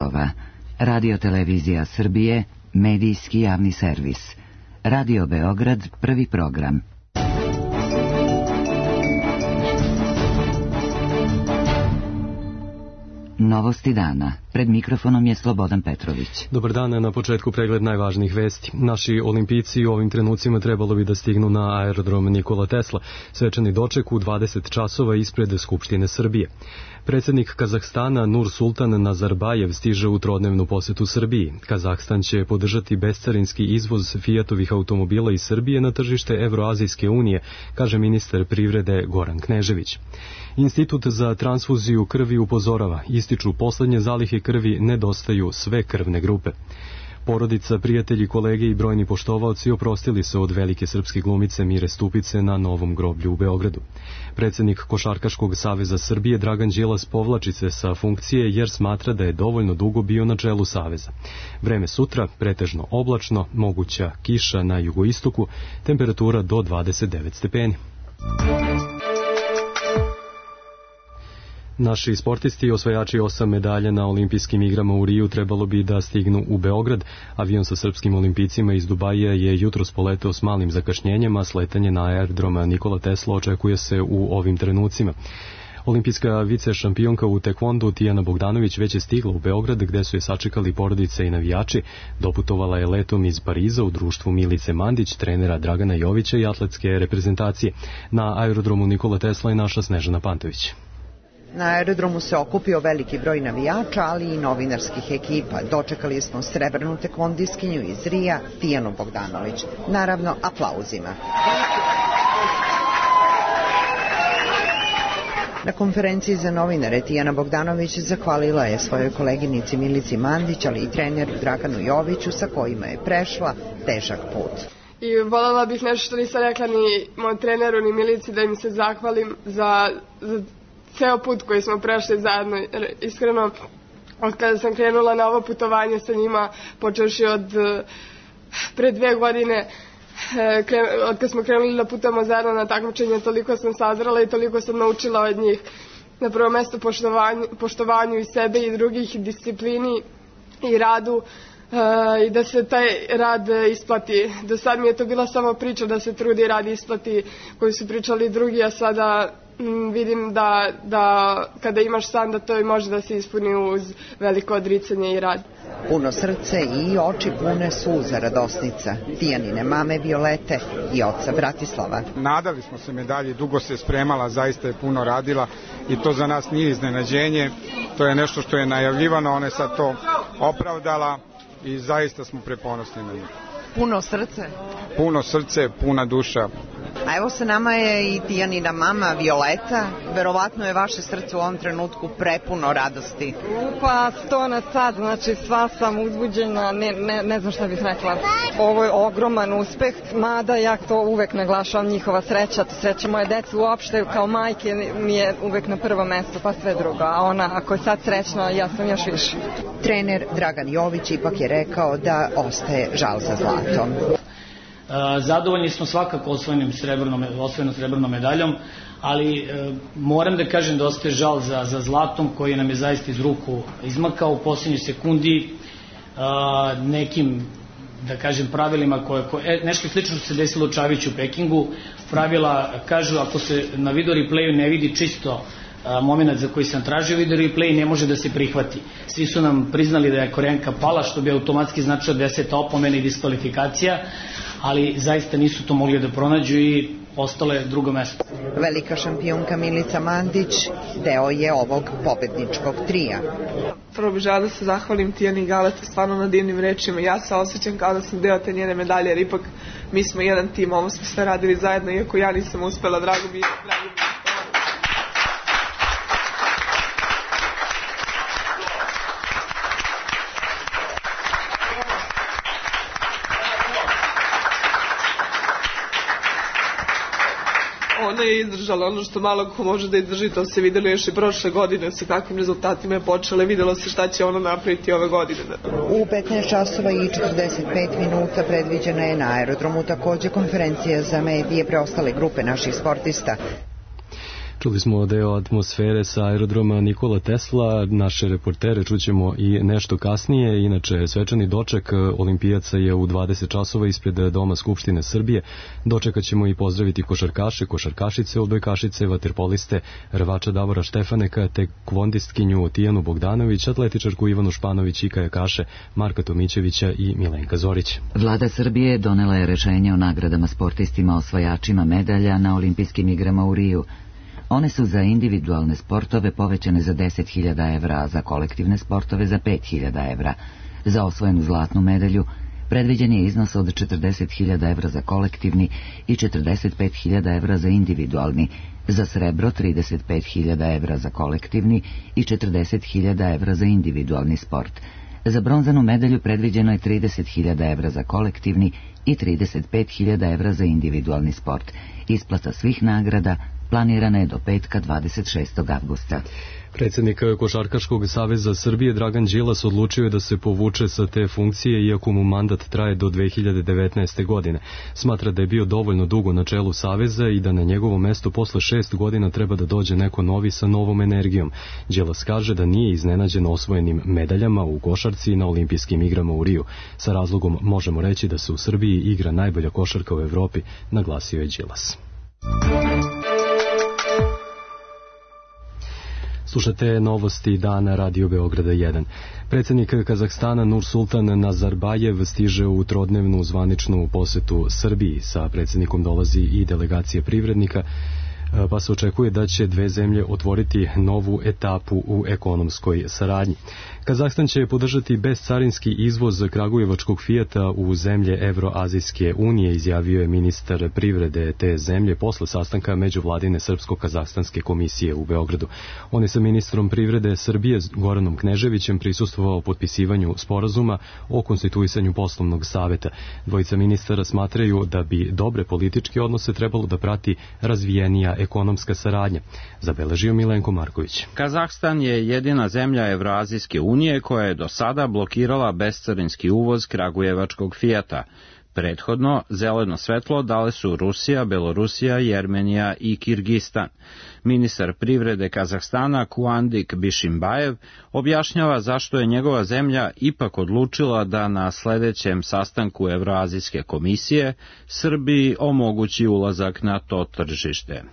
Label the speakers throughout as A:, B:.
A: blokova. Radio-televizija Srbije, medijski javni servis. Radio Beograd, prvi program. Novosti dana. Pred mikrofonom je Slobodan Petrović.
B: Dobar dan, na početku pregled najvažnijih vesti. Naši olimpijci u ovim trenucima trebalo bi da stignu na aerodrom Nikola Tesla. Svečani doček u 20 časova ispred Skupštine Srbije. Predsjednik Kazahstana Nursultan Nazarbajev stiže u trodnevnu posetu Srbiji. Kazahstan će podržati bescarinski izvoz Fiatovih automobila iz Srbije na tržište Evroazijske unije, kaže ministar privrede Goran Knežević. Institut za transfuziju krvi upozorava, ističu poslednje zalihe krvi, nedostaju sve krvne grupe. Porodica, prijatelji, kolege i brojni poštovaoci oprostili se od velike srpske glumice Mire Stupice na Novom groblju u Beogradu. Predsjednik Košarkaškog saveza Srbije Dragan Đilas povlači se sa funkcije jer smatra da je dovoljno dugo bio na čelu saveza. Vreme sutra, pretežno oblačno, moguća kiša na jugoistoku, temperatura do 29 stepeni. Naši sportisti, osvajači 8 medalja na olimpijskim igrama u Riju, trebalo bi da stignu u Beograd. Avion sa srpskim olimpijcima iz Dubaija je jutros poleteo s malim zakašnjenjem, a sletanje na aerodroma Nikola Tesla očekuje se u ovim trenucima. Olimpijska vice šampionka u tekvondu Tijana Bogdanović već je stigla u Beograd, gde su je sačekali porodice i navijači. Doputovala je letom iz Pariza u društvu Milice Mandić, trenera Dragana Jovića i atletske reprezentacije. Na aerodromu Nikola Tesla je naša Snežana Pantović.
C: Na aerodromu se okupio veliki broj navijača, ali i novinarskih ekipa. Dočekali smo srebrnu tekvondiskinju iz Rija, Tijanu Bogdanović. Naravno, aplauzima. Na konferenciji za novinare Tijana Bogdanović zahvalila je svojoj koleginici Milici Mandić, ali i treneru Draganu Joviću, sa kojima je prešla težak put.
D: I voljela bih nešto što nisam rekla ni moj treneru ni Milici, da im se zahvalim za ceo put koji smo prešli zajedno. Iskreno, od kada sam krenula na ovo putovanje sa njima, počevši od pre 2 godine, od kada smo krenuli da putujemo zajedno na takmičenje, toliko sam sazrela i toliko sam naučila od njih. Na prvo mesto poštovanju i sebe i drugih, disciplini i radu, i da se taj rad isplati. Do sad mi je to bila samo priča da se trudi i rad isplati koju su pričali drugi, a sada vidim da kada imaš san da to i može da se ispuni uz veliko odricanje i rad.
C: Puno srce i oči pune suza radosnica Tijanine mame Violete i oca Bratislava.
E: Nadali smo se medalji, dugo se spremala, zaista je puno radila i to za nas nije iznenađenje. To je nešto što je najavljivano, ona je sad to opravdala i zaista smo preponosni na njih.
C: Puno srce?
E: Puno srce, puna duša.
C: A evo sa nama je i Tijanina mama Violeta. Verovatno je vaše srce u ovom trenutku prepuno radosti.
F: Pa 100 na sat, znači sva sam uzbuđena, ne znam šta bih rekla. Ovo je ogroman uspeh, mada ja to uvek naglašavam, njihova sreća, sreća moje dece uopšte, kao majke mi je uvek na prvo mesto, pa sve drugo. A ona, ako je sad srećna, ja sam još više.
C: Trener Dragan Jović ipak je rekao da ostaje žal za zlatom.
G: Zadovoljni smo svakako osvojenom srebrnom medaljom, ali moram da kažem da ostaje žal za zlatom koji nam je zaista iz ruku izmakao u posljednjoj sekundi nekim, da kažem, pravilima nešto slično se desilo u Čaviću u Pekingu. Pravila kažu ako se na video replayu ne vidi čisto moment za koji sam tražio video replay, ne može da se prihvati. Svi su nam priznali da je Koreanka pala, što bi automatski značilo 10 opomena i diskvalifikacija, ali zaista nisu to mogli da pronađu i ostalo je drugo mesto.
C: Velika šampionka Milica Mandić deo je ovog pobedničkog trija.
H: Prvo bih žela da se zahvalim Tijani i Galeta stvarno na divnim rečima. Ja se osjećam kao da sam deo te njene medalje, jer ipak mi smo jedan tim, ovo smo sve radili zajedno, iako ja nisam uspela, drago mi je. Ona je izdržala ono što malo ko može da izdrži, to se videlo još i prošle godine, sa kakvim rezultatima je počela, videlo se šta će ona napraviti ove godine.
C: U 15 časova i 45 minuta predviđena je na aerodromu takođe konferencija za medije preostale grupe naših sportista.
B: Čuli smo deo atmosfere sa aerodroma Nikola Tesla, naše reportere čućemo i nešto kasnije. Inače, svečani doček olimpijaca je u 20 časova ispred Doma Skupštine Srbije. Dočekat ćemo i pozdraviti košarkaše, košarkašice, odbojkašice, vaterpoliste, rvača Davora Štefaneka, te kvondistkinju Tijanu Bogdanović, atletičarku Ivanu Španović i kajakaše Marka Tomićevića i Milenka Zorić.
A: Vlada Srbije donela je rešenje o nagradama sportistima osvajačima medalja na olimpijskim igrama u Riju. One su za individualne sportove povećane za 10.000 evra, a za kolektivne sportove za 5.000 evra. Za osvojenu zlatnu medalju predviđen je iznos od 40.000 evra za kolektivni i 45.000 evra za individualni, za srebro 35.000 evra za kolektivni i 40.000 evra za individualni sport. Za bronzanu medalju predviđeno je 30.000 evra za kolektivni i 35.000 evra za individualni sport. Isplata svih nagrada planirana je do petka 26. avgusta.
B: Predsjednik Košarkaškog saveza Srbije Dragan Đilas odlučio je da se povuče sa te funkcije iako mu mandat traje do 2019. godine. Smatra da je bio dovoljno dugo na čelu saveza i da na njegovo mesto posle 6 godina treba da dođe neko novi sa novom energijom. Đilas kaže da nije iznenađen osvojenim medaljama u košarci na olimpijskim igrama u Riju. Sa razlogom možemo reći da se u Srbiji igra najbolja košarka u Evropi, naglasio je Đilas. Slušate novosti dana Radio Beograda 1. Predsjednik Kazahstana Nursultan Nazarbajev stiže u trodnevnu zvaničnu posetu Srbiji. Sa predsjednikom dolazi i delegacija privrednika, pa se očekuje da će dve zemlje otvoriti novu etapu u ekonomskoj saradnji. Kazahstan će podržati bescarinski izvoz kragujevačkog Fijata u zemlje Evroazijske unije, izjavio je ministar privrede te zemlje posle sastanka međuvladine Srpsko-Kazahstanske komisije u Beogradu. On je sa ministrom privrede Srbije Goranom Kneževićem prisustvovao potpisivanju sporazuma o konstituisanju poslovnog saveta. Dvojica ministara smatraju da bi dobre političke odnose trebalo da prati razvijenija ekonomska saradnja, zabeležio Milenko Marković.
I: Kazahstan je jedina zemlja Evroazijske unije koja je do sada blokirala bescarinski uvoz kragujevačkog Fijata. Prethodno, zeleno svetlo dale su Rusija, Belorusija, Jermenija i Kirgistan. Ministar privrede Kazahstana Kuandik Bišimbajev objašnjava zašto je njegova zemlja ipak odlučila da na sledećem sastanku Evroazijske komisije Srbiji omogući ulazak na to tržište.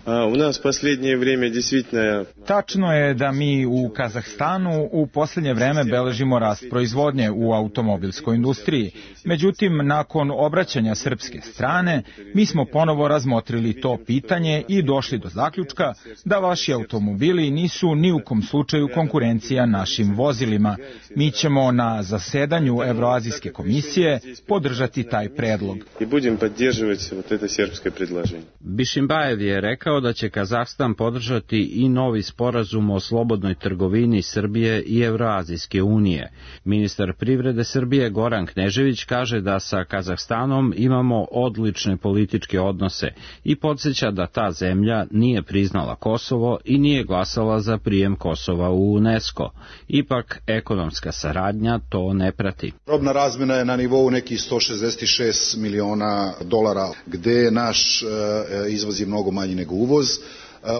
J: Tačno je da mi u Kazahstanu u posljednje vreme beležimo rast proizvodnje u automobilskoj industriji. Međutim, nakon obraćanja srpske strane, mi smo ponovo razmotrili to pitanje i došli do zaključka da vaši automobili nisu ni u kom slučaju konkurencija našim vozilima. Mi ćemo na zasedanju Evroazijske komisije podržati taj predlog.
I: Bišimbajev je rekao da će Kazahstan podržati i novi sporazum o slobodnoj trgovini Srbije i Evroazijske unije. Ministar privrede Srbije Goran Knežević kaže da sa Kazahstanom imamo odlične političke odnose i podsjeća da ta zemlja nije priznala Kosovo i nije glasala za prijem Kosova u UNESCO. Ipak, ekonomska saradnja to ne prati.
K: Robna razmjena je na nivou nekih 166 miliona dolara, gde naš izvoz je mnogo manji nego uvoz.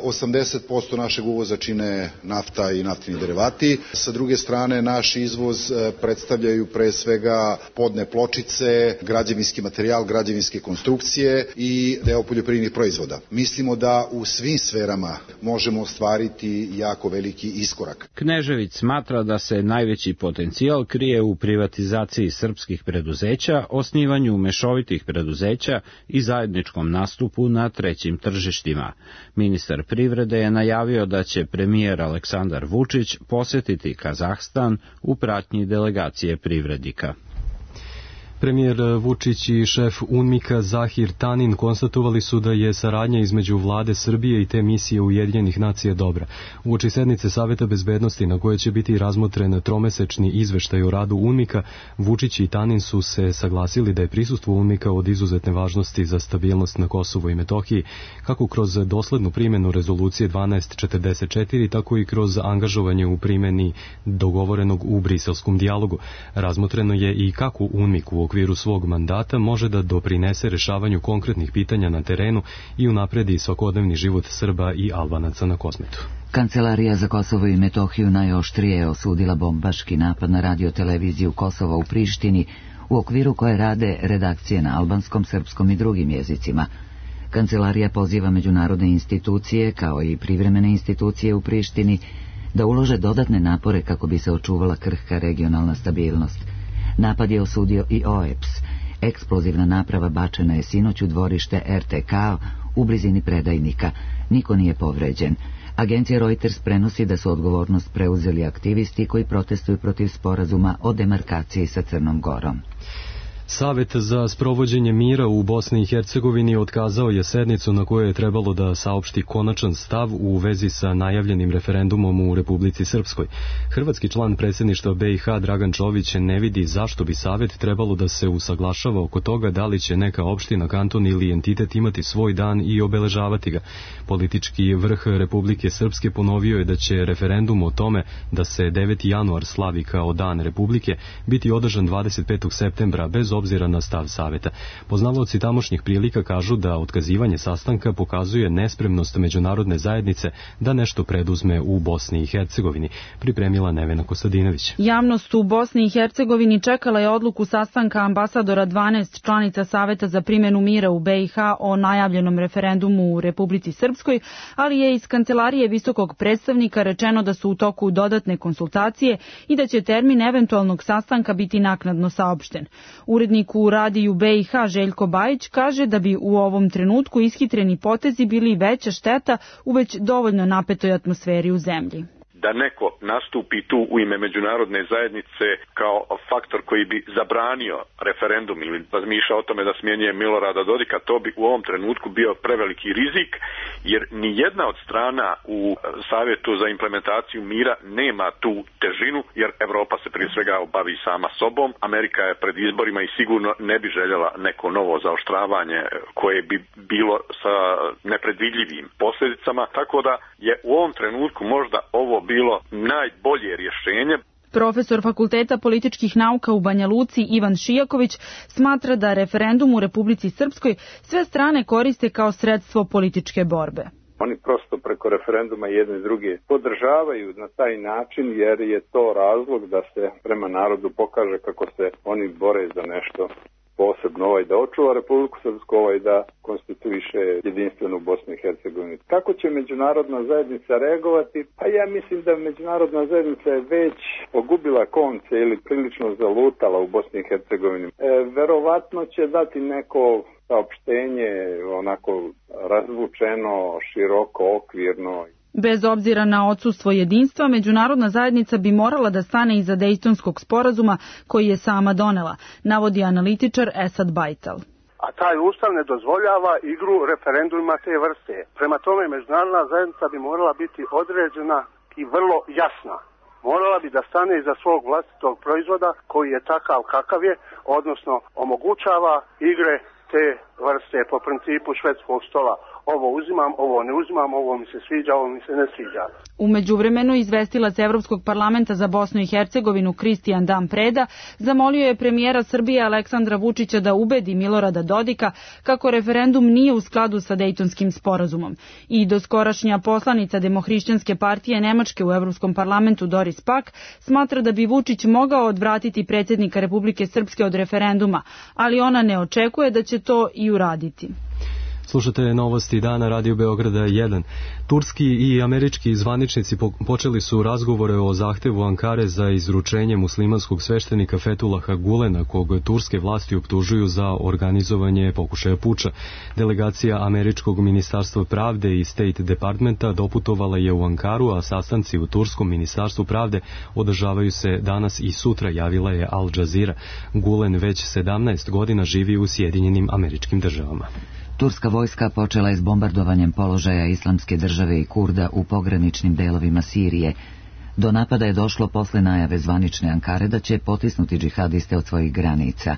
K: 80% našeg uvoza čine nafta i naftini derivati. Sa druge strane, naš izvoz predstavljaju pre svega podne pločice, građevinski materijal, građevinske konstrukcije i deo poljoprivrednih proizvoda. Mislimo da u svim sferama možemo ostvariti jako veliki iskorak.
I: Knežević smatra da se najveći potencijal krije u privatizaciji srpskih preduzeća, osnivanju mešovitih preduzeća i zajedničkom nastupu na trećim tržištima. Ministar privrede je najavio da će premijer Aleksandar Vučić posjetiti Kazahstan u pratnji delegacije privrednika.
B: Premijer Vučić i šef UNMIK-a Zahir Tanin konstatovali su da je saradnja između vlade Srbije i te misije Ujedinjenih nacija dobra. Uoči sednice Saveta bezbednosti na kojoj će biti razmotren tromesečni izveštaj o radu UNMIK-a, Vučić i Tanin su se saglasili da je prisustvo UNMIK-a od izuzetne važnosti za stabilnost na Kosovu i Metohiji, kako kroz doslednu primjenu rezolucije 1244, tako i kroz angažovanje u primjeni dogovorenog u briselskom dijalogu. Razmotreno je i kako UNMIK u u okviru svog mandata može da doprinese rešavanju konkretnih pitanja na terenu i unapredi svakodnevni život Srba i Albanaca na Kosmetu.
A: Kancelarija za Kosovo i Metohiju najoštrije je osudila bombaški napad na radioteleviziju Kosova u Prištini, u okviru koje rade redakcije na albanskom, srpskom i drugim jezicima. Kancelarija poziva međunarodne institucije, kao i privremene institucije u Prištini, da ulože dodatne napore kako bi se očuvala krhka regionalna stabilnost. Napad je osudio i OEBS. Eksplozivna naprava bačena je sinoć u dvorište RTK u blizini Predajnika. Niko nije povređen. Agencija Reuters prenosi da su odgovornost preuzeli aktivisti koji protestuju protiv sporazuma o demarkaciji sa Crnom Gorom.
B: Savet za sprovođenje mira u Bosni i Hercegovini otkazao je sednicu na kojoj je trebalo da saopšti konačan stav u vezi sa najavljenim referendumom u Republici Srpskoj. Hrvatski član predsjedništva BiH Dragan Čović ne vidi zašto bi Savet trebalo da se usaglašava oko toga da li će neka opština, kanton ili entitet imati svoj dan i obeležavati ga. Politički vrh Republike Srpske ponovio je da će referendum o tome da se 9. januar slavi kao dan Republike biti održan 25. septembra bez obzira na stav Saveta. Poznavaoci tamošnjih prilika kažu da otkazivanje sastanka pokazuje nespremnost međunarodne zajednice da nešto preduzme u Bosni i Hercegovini, pripremila Nevena Kostadinović.
L: Javnost u Bosni i Hercegovini čekala je odluku sastanka ambasadora 12 članica Saveta za primjenu mira u BiH o najavljenom referendumu u Republici Srpskoj, ali je iz kancelarije visokog predstavnika rečeno da su u toku dodatne konsultacije i da će termin eventualnog sastanka biti naknadno saopšten. Urednik u radiju BiH Željko Bajić kaže da bi u ovom trenutku ishitreni potezi bili veća šteta u već dovoljno napetoj atmosferi u zemlji.
M: Da neko nastupi tu u ime međunarodne zajednice kao faktor koji bi zabranio referendum ili razmišljao o tome da smjenjuje Milorada Dodika, to bi u ovom trenutku bio preveliki rizik, jer ni jedna od strana u Savjetu za implementaciju mira nema tu težinu, jer Evropa se prije svega bavi sama sobom. Amerika je pred izborima i sigurno ne bi željela neko novo zaoštravanje koje bi bilo sa nepredvidljivim posljedicama, tako da je u ovom trenutku možda ovo bilo najbolje rješenje.
L: Profesor Fakulteta političkih nauka u Banja Luci Ivan Šijaković smatra da referendum u Republici Srpskoj sve strane koriste kao sredstvo političke borbe.
N: Oni prosto preko referenduma jedne i druge podržavaju na taj način jer je to razlog da se prema narodu pokaže kako se oni bore za nešto posebno, da očuva Republiku Srpsku, da konstituiše jedinstvenu Bosnu i Hercegovinu. Kako će međunarodna zajednica reagovati? Pa ja mislim da međunarodna zajednica je već pogubila konce ili prilično zalutala u Bosni i Hercegovini. Verovatno će dati neko saopštenje onako razvučeno, široko, okvirno.
L: Bez obzira na odsustvo jedinstva, međunarodna zajednica bi morala da stane iza Dejtonskog sporazuma koji je sama donela, navodi analitičar Esad Bajtal.
O: A taj ustav ne dozvoljava igru referenduma te vrste. Prema tome, međunarodna zajednica bi morala biti određena i vrlo jasna. Morala bi da stane iza svog vlastitog proizvoda koji je takav kakav je, odnosno omogućava igre te vrste po principu švedskog stola. Ovo uzimam, ovo ne uzimam, ovo mi se sviđa, ovo mi se ne sviđa.
L: U međuvremenu izvestilac Evropskog parlamenta za Bosnu i Hercegovinu Kristijan Dan Preda zamolio je premijera Srbije Aleksandra Vučića da ubedi Milorada Dodika kako referendum nije u skladu sa Dejtonskim sporazumom. I doskorašnja poslanica Demohrišćanske partije Nemačke u Evropskom parlamentu Doris Pack smatra da bi Vučić mogao odvratiti predsjednika Republike Srpske od referenduma, ali ona ne očekuje da će to i uraditi.
B: Slušate novosti dana Radio Beograda 1. Turski i američki zvaničnici počeli su razgovore o zahtevu Ankare za izručenje muslimanskog sveštenika Fetulaha Gulena, kog turske vlasti optužuju za organizovanje pokušaja puča. Delegacija američkog ministarstva pravde i State Departmenta doputovala je u Ankaru, a sastanci u turskom ministarstvu pravde održavaju se danas i sutra, javila je Al Jazeera. Gulen već 17 godina živi u Sjedinjenim Američkim Državama.
A: Turska vojska počela je s bombardovanjem položaja Islamske države i Kurda u pograničnim delovima Sirije. Do napada je došlo posle najave zvanične Ankare da će potisnuti džihadiste od svojih granica.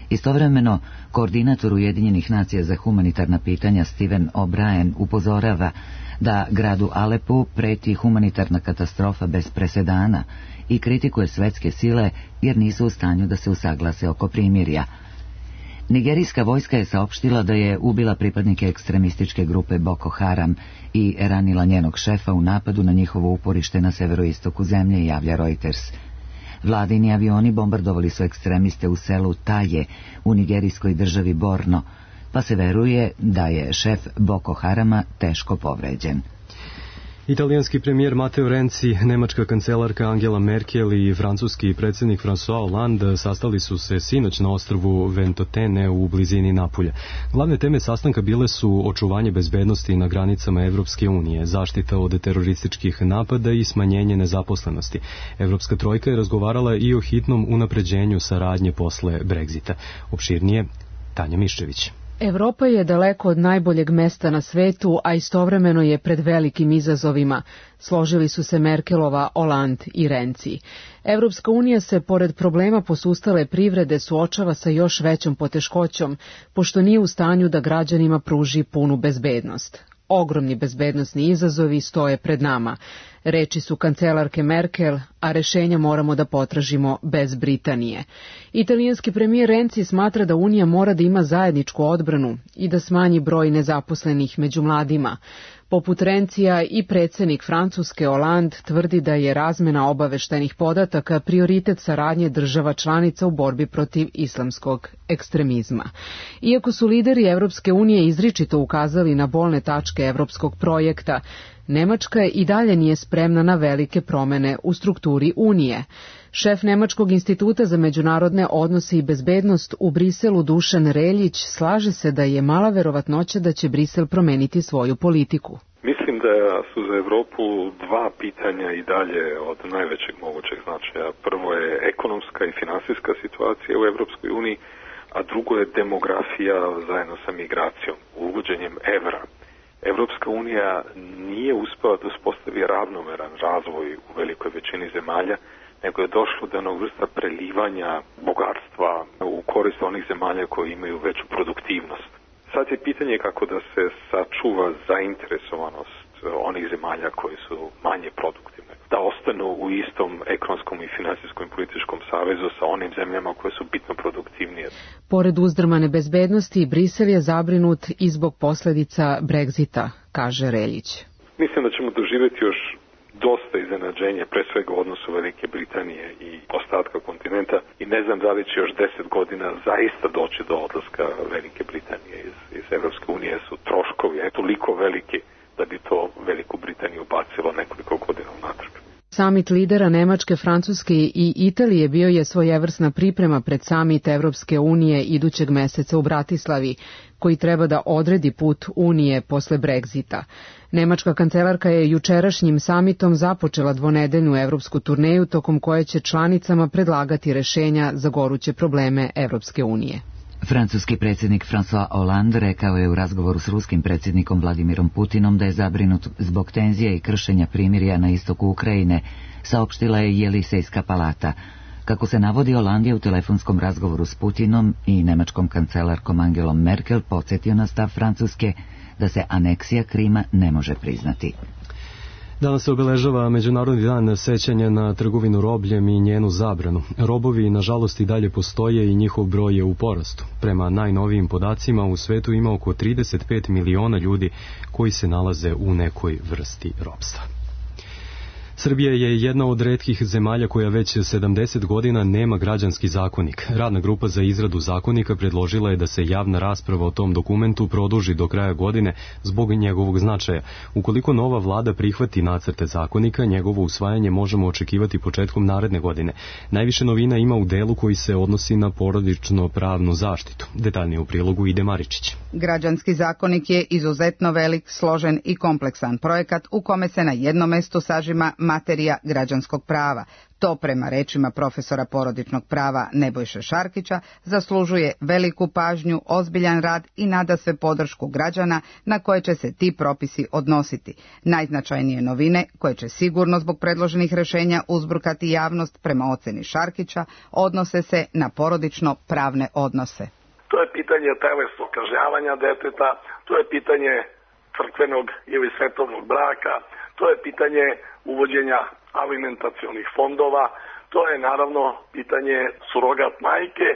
A: Istovremeno, koordinator Ujedinjenih nacija za humanitarna pitanja Steven O'Brien upozorava da gradu Alepu preti humanitarna katastrofa bez presedana i kritikuje svetske sile jer nisu u stanju da se usaglase oko primirja. Nigerijska vojska je saopštila da je ubila pripadnike ekstremističke grupe Boko Haram i ranila njenog šefa u napadu na njihovo uporište na severoistoku zemlje, javlja Reuters. Vladini avioni bombardovali su ekstremiste u selu Taje u nigerijskoj državi Borno, pa se veruje da je šef Boko Harama teško povređen.
B: Italijanski premijer Matteo Renzi, nemačka kancelarka Angela Merkel i francuski predsjednik François Hollande sastali su se sinoć na ostrvu Ventotene u blizini Napulja. Glavne teme sastanka bile su očuvanje bezbednosti na granicama Evropske unije, zaštita od terorističkih napada i smanjenje nezaposlenosti. Evropska trojka je razgovarala i o hitnom unapređenju saradnje posle Brexita. Opširnije, Tanja Miščević.
P: Evropa je daleko od najboljeg mesta na svetu, a istovremeno je pred velikim izazovima. Složili su se Merkelova, Hollande i Renzi. Evropska unija se, pored problema posustale privrede, suočava sa još većom poteškoćom, pošto nije u stanju da građanima pruži punu bezbednost. Ogromni bezbednosni izazovi stoje pred nama. Reči su kancelarke Merkel, a rešenja moramo da potražimo bez Britanije. Italijanski premijer Renzi smatra da Unija mora da ima zajedničku odbranu i da smanji broj nezaposlenih među mladima. Poput Renzija i predsjednik Francuske Hollande tvrdi da je razmena obaveštajnih podataka prioritet saradnje država članica u borbi protiv islamskog ekstremizma. Iako su lideri Evropske unije izričito ukazali na bolne tačke evropskog projekta, Nemačka i dalje nije spremna na velike promene u strukturi Unije. Šef Nemačkog instituta za međunarodne odnose i bezbednost u Briselu Dušan Reljić slaže se da je mala verovatnoća da će Brisel promeniti svoju politiku.
Q: Mislim da su za Evropu dva pitanja i dalje od najvećeg mogućeg značaja. Prvo je ekonomska i finansijska situacija u Evropskoj uniji, a drugo je demografija zajedno sa migracijom, uvođenjem evra. Evropska unija nije uspela da uspostavi ravnomeran razvoj u velikoj većini zemalja, nego je došlo do jednog vrsta prelivanja bogatstva u korist onih zemalja koji imaju veću produktivnost. Sad je pitanje kako da se sačuva zainteresovanost onih zemalja koji su manje produktivne, da ostanu u istom ekonomskom i finansijskom i političkom savezu sa onim zemljama koje su bitno produktivnije.
P: Pored uzdrmane bezbednosti, Brisel je zabrinut i zbog posljedica Brexita, kaže Reljić.
Q: Mislim da ćemo doživjeti još dosta iznenađenja, pre svega u odnosu Velike Britanije i ostatka kontinenta, i ne znam da li će još 10 godina zaista doći do odlaska Velike Britanije iz Evropske unije. Su troškovi toliko veliki da bi to Veliku Britaniju bacilo nekoliko godina unatrag.
P: Samit lidera Nemačke, Francuske i Italije bio je svojevrsna priprema pred samit Evropske unije idućeg meseca u Bratislavi, koji treba da odredi put Unije posle Brexita. Nemačka kancelarka je jučerašnjim samitom započela dvonedeljnu evropsku turneju tokom koje će članicama predlagati rešenja za goruće probleme Evropske unije.
A: Francuski predsjednik François Hollande rekao je u razgovoru s ruskim predsjednikom Vladimirom Putinom da je zabrinut zbog tenzije i kršenja primirja na istoku Ukrajine, saopštila je Jelisejska palata. Kako se navodi, Hollande je u telefonskom razgovoru s Putinom i nemačkom kancelarkom Angelom Merkel podsjetio na stav Francuske da se aneksija Krima ne može priznati.
B: Danas se obeležava Međunarodni dan sećanja na trgovinu robljem i njenu zabranu. Robovi, nažalost, i dalje postoje i njihov broj je u porastu. Prema najnovijim podacima, u svetu ima oko 35 miliona ljudi koji se nalaze u nekoj vrsti ropstva. Srbija je jedna od retkih zemalja koja već 70 godina nema građanski zakonik. Radna grupa za izradu zakonika predložila je da se javna rasprava o tom dokumentu produži do kraja godine zbog njegovog značaja. Ukoliko nova vlada prihvati nacrte zakonika, njegovo usvajanje možemo očekivati početkom naredne godine. Najviše novina ima u delu koji se odnosi na porodično pravnu zaštitu. Detaljnije u prilogu Ide Maričić.
R: Građanski zakonik je izuzetno velik, složen i kompleksan projekat u kome se na jednom mestu sažima materija građanskog prava. To, prema rečima profesora porodičnog prava Nebojše Šarkića, zaslužuje veliku pažnju, ozbiljan rad i nadasve podršku građana na koje će se ti propisi odnositi. Najznačajnije novine, koje će sigurno zbog predloženih rješenja uzburkati javnost, prema oceni Šarkića, odnose se na porodično-pravne odnose.
S: To je pitanje telesnog kažnjavanja deteta, to je pitanje crkvenog ili svetovnog braka, to je pitanje uvođenja alimentacionih fondova, to je naravno pitanje surogat majke.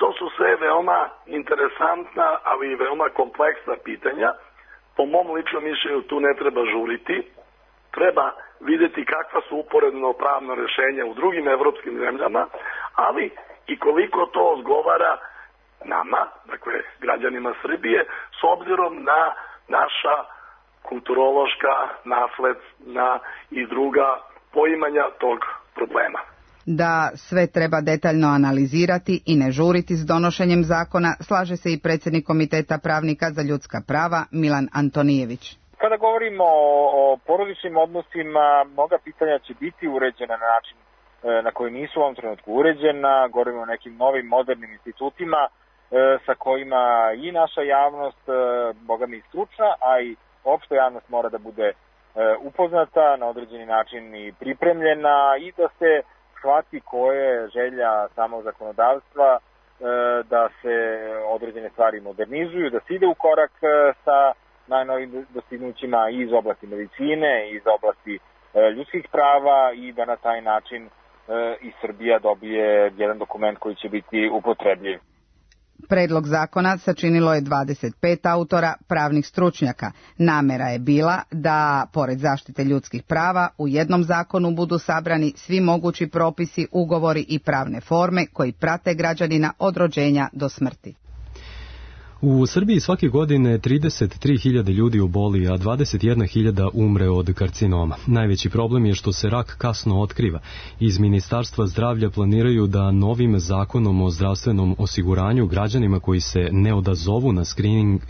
S: To su sve veoma interesantna, ali i veoma kompleksna pitanja. Po mom ličnom mišljenju tu ne treba žuriti, treba vidjeti kakva su uporedno pravna rješenja u drugim evropskim zemljama, ali i koliko to odgovara nama, dakle građanima Srbije, s obzirom na naša kulturološka, nasledna i druga poimanja tog problema.
R: Da sve treba detaljno analizirati i ne žuriti s donošenjem zakona, slaže se i predsjednik Komiteta pravnika za ljudska prava Milan Antonijević.
J: Kada govorimo o porodičnim odnosima, mnoga pitanja će biti uređena na način na koji nisu u ovom trenutku uređena. Govorimo o nekim novim modernim institutima sa kojima i naša javnost, boga mi stručna, a i opšta javnost mora da bude upoznata na određeni način i pripremljena i da se shvati koje je želja samog zakonodavstva da se određene stvari modernizuju, da se ide u korak sa najnovim dostignućima iz oblasti medicine, iz oblasti ljudskih prava i da na taj način i Srbija dobije jedan dokument koji će biti upotrebljiv.
R: Predlog zakona sačinilo je 25 autora, pravnih stručnjaka. Namera je bila da, pored zaštite ljudskih prava, u jednom zakonu budu sabrani svi mogući propisi, ugovori i pravne forme koji prate građanina od rođenja do smrti.
B: U Srbiji svake godine 33.000 ljudi oboli, a 21.000 umre od karcinoma. Najveći problem je što se rak kasno otkriva. Iz Ministarstva zdravlja planiraju da novim zakonom o zdravstvenom osiguranju građanima koji se ne odazovu na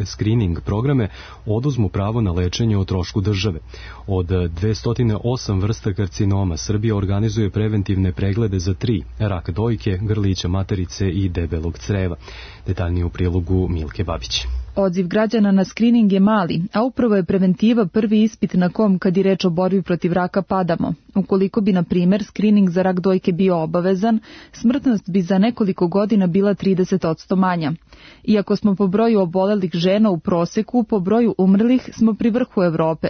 B: screening programe oduzmu pravo na lečenje o trošku države. Od 208 vrsta karcinoma Srbija organizuje preventivne preglede za 3: rak dojke, grlića materice i debelog creva. Detaljnije u prilogu Milke Babić.
L: Odziv građana na skrining je mali, a upravo je preventiva prvi ispit na kom, kad je reč o borbi protiv raka, padamo. Ukoliko bi, na primjer, skrining za rak dojke bio obavezan, smrtnost bi za nekoliko godina bila 30% manja. Iako smo po broju obolelih žena u proseku, po broju umrlih smo pri vrhu Evrope,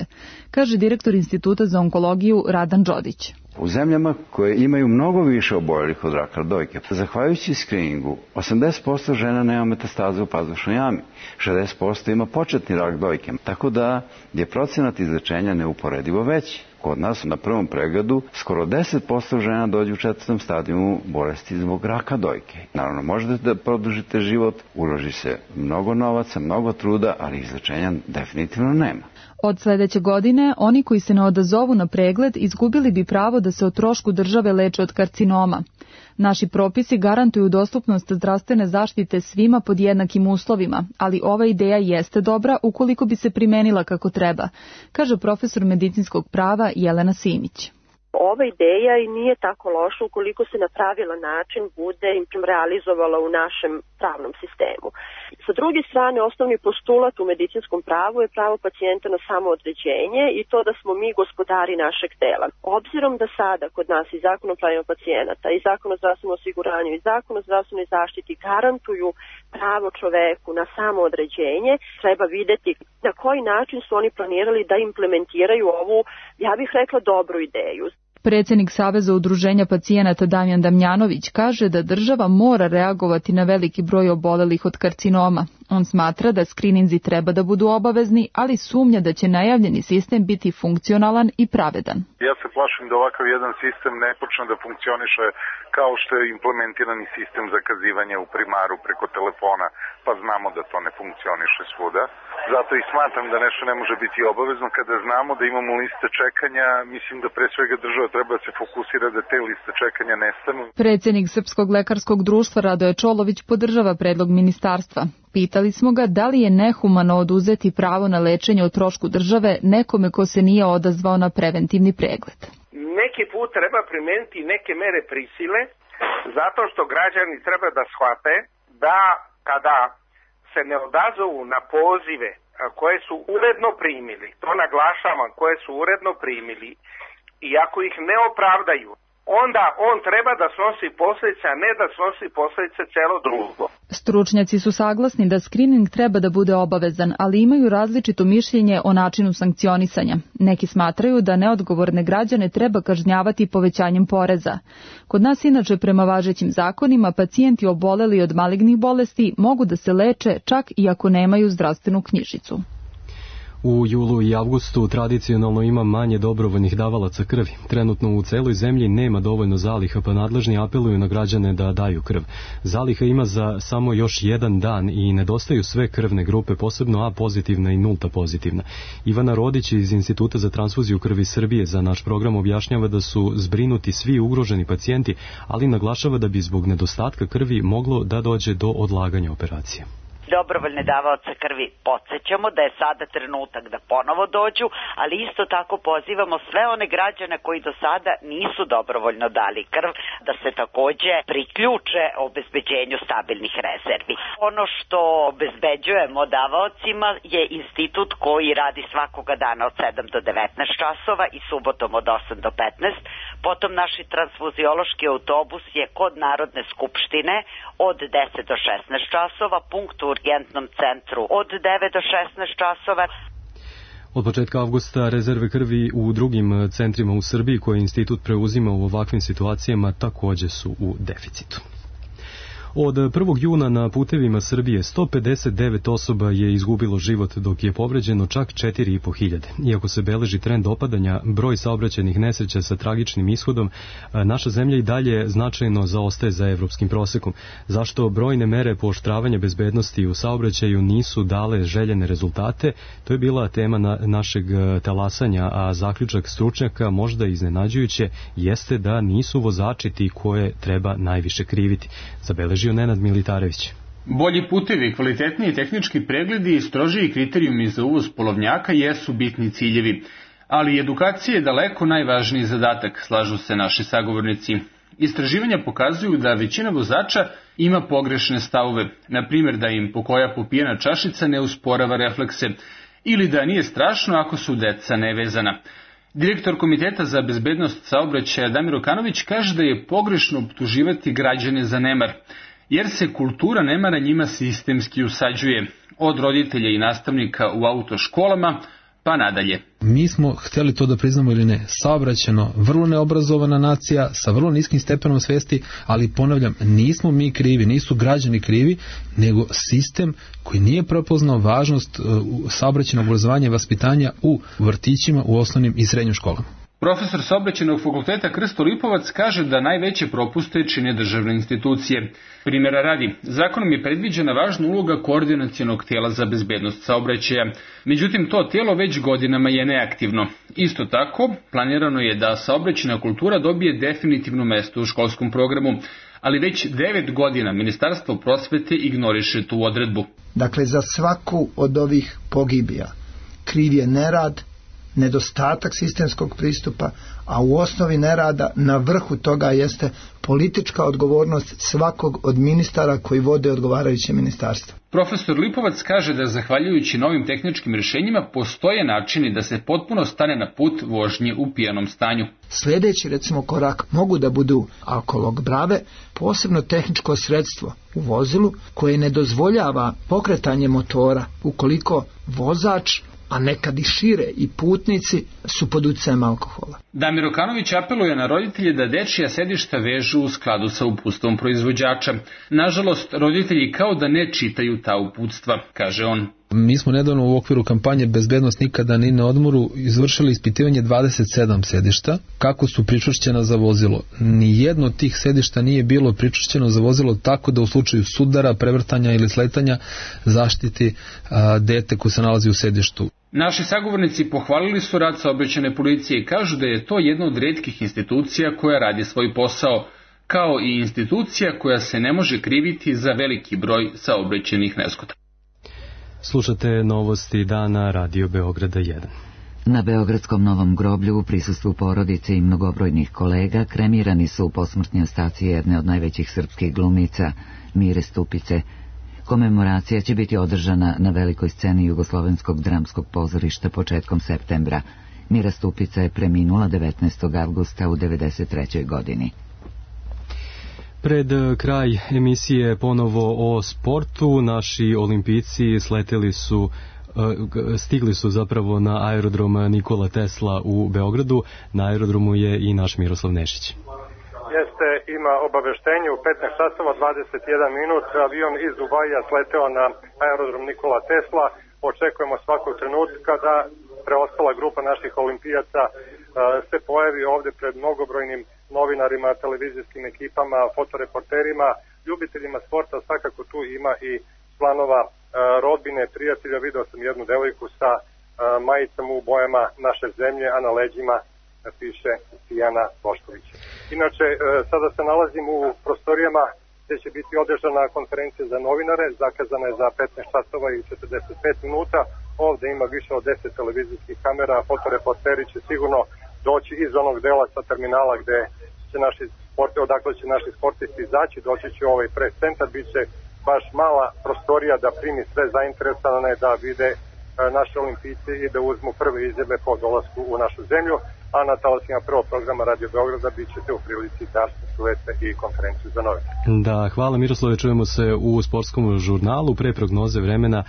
L: kaže direktor Instituta za onkologiju Radan Đodić.
T: U zemljama koje imaju mnogo više oboljelih od raka dojke, zahvaljujući skriningu, 80% žena nema metastaze u pazušnoj jami, 60% ima početni rak dojke, tako da je procenat izlečenja neuporedivo veći. Kod nas na prvom pregledu skoro 10% žena dođe u 4. stadijumu bolesti zbog raka dojke. Naravno, možete da produžite život, uloži se mnogo novaca, mnogo truda, ali izlečenja definitivno nema.
L: Od sledeće godine, oni koji se ne odazovu na pregled izgubili bi pravo da se o trošku države leče od karcinoma. Naši propisi garantuju dostupnost zdravstvene zaštite svima pod jednakim uslovima, ali ova ideja jeste dobra ukoliko bi se primenila kako treba, kaže profesor medicinskog prava Jelena Simić.
U: Ova ideja i nije tako loša ukoliko se na pravilan način bude realizovala u našem pravnom sistemu. Sa druge strane, osnovni postulat u medicinskom pravu je pravo pacijenta na samoodređenje i to da smo mi gospodari našeg tela. Obzirom da sada kod nas i Zakon o pravima pacijenata, i Zakon o zdravstvenom osiguranju, i Zakon o zdravstvenoj zaštiti garantuju pravo čoveku na samoodređenje, treba videti na koji način su oni planirali da implementiraju ovu, ja bih rekla, dobru ideju.
L: Predsjednik Saveza udruženja pacijenata Damjan Damjanović kaže da država mora reagovati na veliki broj obolelih od karcinoma. On smatra da skrininzi treba da budu obavezni, ali sumnja da će najavljeni sistem biti funkcionalan i pravedan.
V: Ja se plašim da ovakav jedan sistem ne počne da funkcioniše kao što je implementirani sistem zakazivanja u primaru preko telefona, pa znamo da to ne funkcioniše svuda. Zato i smatram da nešto ne može biti obavezno. Kada znamo da imamo liste čekanja, mislim da pre svega država treba da se fokusira da te liste čekanja nestanu.
L: Predsjednik Srpskog lekarskog društva Radoje Čolović podržava predlog ministarstva. Pitali smo ga da li je nehumano oduzeti pravo na lečenje o trošku države nekome ko se nije odazvao na preventivni pregled.
D: neki put treba primeniti neke mere prisile, zato što građani treba da shvate da kada se ne odazovu na pozive koje su uredno primili, to naglašavam, koje su uredno primili, i ako ih ne opravdaju, onda on treba da snosi posljedice, a ne da snosi posljedice celo društvo.
L: Stručnjaci su saglasni da skrining treba da bude obavezan, ali imaju različito mišljenje o načinu sankcionisanja. Neki smatraju da neodgovorne građane treba kažnjavati povećanjem poreza. Kod nas inače prema važećim zakonima pacijenti oboleli od malignih bolesti mogu da se leče čak i ako nemaju zdravstvenu knjižicu.
B: U julu i avgustu tradicionalno ima manje dobrovoljnih davalaca krvi. Trenutno u celoj zemlji nema dovoljno zaliha, pa nadležni apeluju na građane da daju krv. Zaliha ima za samo još jedan dan i nedostaju sve krvne grupe, posebno A pozitivna i nulta pozitivna. Ivana Rodić iz Instituta za transfuziju krvi Srbije za naš program objašnjava da su zbrinuti svi ugroženi pacijenti, ali naglašava da bi zbog nedostatka krvi moglo da dođe do odlaganja operacije.
E: Dobrovoljne davaoce krvi podsjećamo da je sada trenutak da ponovo dođu, ali isto tako pozivamo sve one građane koji do sada nisu dobrovoljno dali krv da se takođe priključe obezbeđenju stabilnih rezervi. Ono što obezbeđujemo davaocima je institut koji radi svakoga dana od 7 do 19 časova i subotom od 8 do 15. Potom naši transfuziološki autobus je kod Narodne skupštine od 10 do 16 časova, punkt u urgentnom centru od 9 do 16 časova.
B: Od početka avgusta rezerve krvi u drugim centrima u Srbiji koje institut preuzima u ovakvim situacijama takođe su u deficitu. Od 1. juna na putevima Srbije 159 osoba je izgubilo život, dok je povređeno čak 4.500. Iako se beleži trend opadanja, broj saobraćajnih nesreća sa tragičnim ishodom, naša zemlja i dalje značajno zaostaje za evropskim prosekom. Zašto brojne mere pooštravanja bezbednosti u saobraćaju nisu dale željene rezultate, to je bila tema našeg talasanja, a zaključak stručnjaka, možda iznenađujuće, jeste da nisu vozači ti koje treba najviše kriviti. Zabeleži Nenad Militarević.
W: Bolji putevi, kvalitetniji tehnički pregledi i strožiji kriterijumi za uvoz polovnjaka jesu bitni ciljevi, ali edukacija je daleko najvažniji zadatak, slažu se naši sagovornici. Istraživanja pokazuju da većina vozača ima pogrešne stavove, na primjer da im pokoja popijena čašica ne usporava reflekse ili da nije strašno ako su deca nevezana. Direktor Komiteta za bezbednost saobraćaja Damir Okanović kaže da je pogrešno optuživati građane za nemar, jer se kultura nemara njima sistemski usađuje, od roditelja i nastavnika u autoškolama pa nadalje.
X: Mi smo htjeli to da priznamo ili ne, saobraćajno vrlo neobrazovana nacija sa vrlo niskim stepenom svesti, ali ponavljam, nismo mi krivi, nisu građani krivi, nego sistem koji nije prepoznao važnost saobraćajnog obrazovanja i vaspitanja u vrtićima, u osnovnim i srednjim školama.
W: Profesor Saobraćajnog fakulteta Krsto Lipovac kaže da najveće propuste čine državne institucije. Primjera radi, zakonom je predviđena važna uloga koordinacionog tijela za bezbednost saobraćaja. Međutim, to tijelo već godinama je neaktivno. Isto tako, planirano je da saobraćajna kultura dobije definitivno mesto u školskom programu, ali već 9 godina Ministarstvo prosvete ignoriše tu odredbu.
Y: Dakle, za svaku od ovih pogibija kriv je nerad, nedostatak sistemskog pristupa, a u osnovi nerada na vrhu toga jeste politička odgovornost svakog od ministara koji vode odgovarajuće ministarstvo.
W: Profesor Lipovac kaže da zahvaljujući novim tehničkim rješenjima postoje načini da se potpuno stane na put vožnje u pijanom stanju.
Y: Sljedeći recimo korak mogu da budu alkolog brave, posebno tehničko sredstvo u vozilu koje ne dozvoljava pokretanje motora ukoliko vozač, a nekad i šire i putnici su pod utjecajem alkohola.
W: Damir Okanović apeluje na roditelje da dečija sedišta vežu u skladu sa uputstvom proizvođača. Nažalost, roditelji kao da ne čitaju ta uputstva, kaže on.
X: Mi smo nedavno u okviru kampanje Bezbednost nikada ni na odmoru izvršili ispitivanje 27 sedišta, kako su pričvršćena za vozilo. Nijedno od tih sedišta nije bilo pričvršćeno za vozilo tako da u slučaju sudara, prevrtanja ili sletanja zaštiti dete koje se nalazi u sedištu.
W: Naši sagovornici pohvalili su rad saobraćajne policije i kažu da je to jedna od retkih institucija koja radi svoj posao, kao i institucija koja se ne može kriviti za veliki broj saobraćajnih nezgoda.
B: Slušate novosti dana Radio Beograda 1.
A: Na beogradskom Novom groblju u prisustvu porodice i mnogobrojnih kolega kremirani su posmrtni ostaci jedne od najvećih srpskih glumica, Mire Stupice. Komemoracija će biti održana na velikoj sceni Jugoslovenskog dramskog pozorišta početkom septembra. Mira Stupica je preminula 19. avgusta u 93. godini.
B: Pred kraj emisije ponovo o sportu, naši olimpijci stigli su zapravo na aerodrom Nikola Tesla u Beogradu. Na aerodromu je i naš Miroslav Nešić.
C: Jeste, ima obaveštenje u 15 časova 21 minut. Avion iz Dubaija sleteo na aerodrom Nikola Tesla. Očekujemo svakog trenutka da preostala grupa naših olimpijaca se pojavi ovde pred mnogobrojnim novinarima, televizijskim ekipama, fotoreporterima, ljubiteljima sporta. Svakako tu ima i članova rodbine, prijatelja. Video sam jednu devojku sa majicama u bojama naše zemlje, a na leđima piše Tijana Bošković. Inače, sada se nalazim u prostorijama gde će biti održana konferencija za novinare, zakazana je za 15 časova i 45 minuta. Ovde ima više od 10 televizijskih kamera, fotoreporteri će sigurno doći iz onog dela sa terminala gde će odakle će naši sportisti izaći, doći će u ovaj press centar, bit će baš mala prostorija da primi sve zainteresovane da vide naše olimpijce i da uzmu prve izjave po dolasku u našu zemlju, a na talasima prvog programa Radio Beograda bit ćete u prilici da čujete i konferenciju za novinare.
B: Da, hvala Miroslave, čujemo se u sportskom žurnalu. Pre prognoze vremena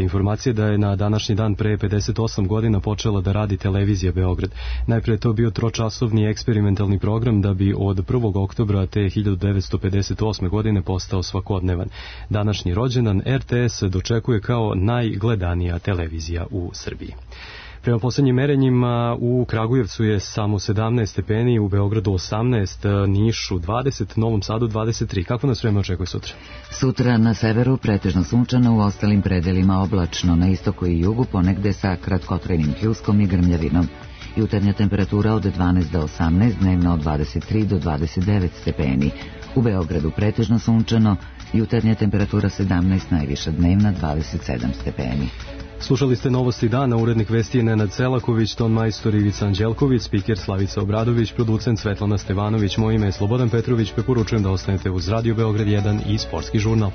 B: informacije da je na današnji dan pre 58 godina počela da radi televizija Beograd. Najpre je to bio tročasovni eksperimentalni program da bi od 1. oktobra te 1958. godine postao svakodnevan. Današnji rođendan RTS dočekuje kao najgledanija televizija u Srbiji. Prema poslednjim merenjima u Kragujevcu je samo 17 stepeni, u Beogradu 18, Nišu 20, Novom Sadu 23. Kako nas vreme očekuje sutra?
A: Sutra na severu pretežno sunčano, u ostalim predelima oblačno, na istoku i jugu ponegde sa kratkotrajnim pljuskom i grmljavinom. Jutarnja temperatura od 12 do 18, dnevna od 23 do 29 stepeni. U Beogradu pretežno sunčano, jutarnja temperatura 17, najviša dnevna 27 stepeni.
B: Slušali ste Novosti dana, urednik vesti je Nenad Selaković, ton majstor Ivica Anđelković, spiker Slavica Obradović, producent Svetlana Stevanović, moje ime je Slobodan Petrović, preporučujem da ostanete uz Radio Beograd 1 i sportski žurnal.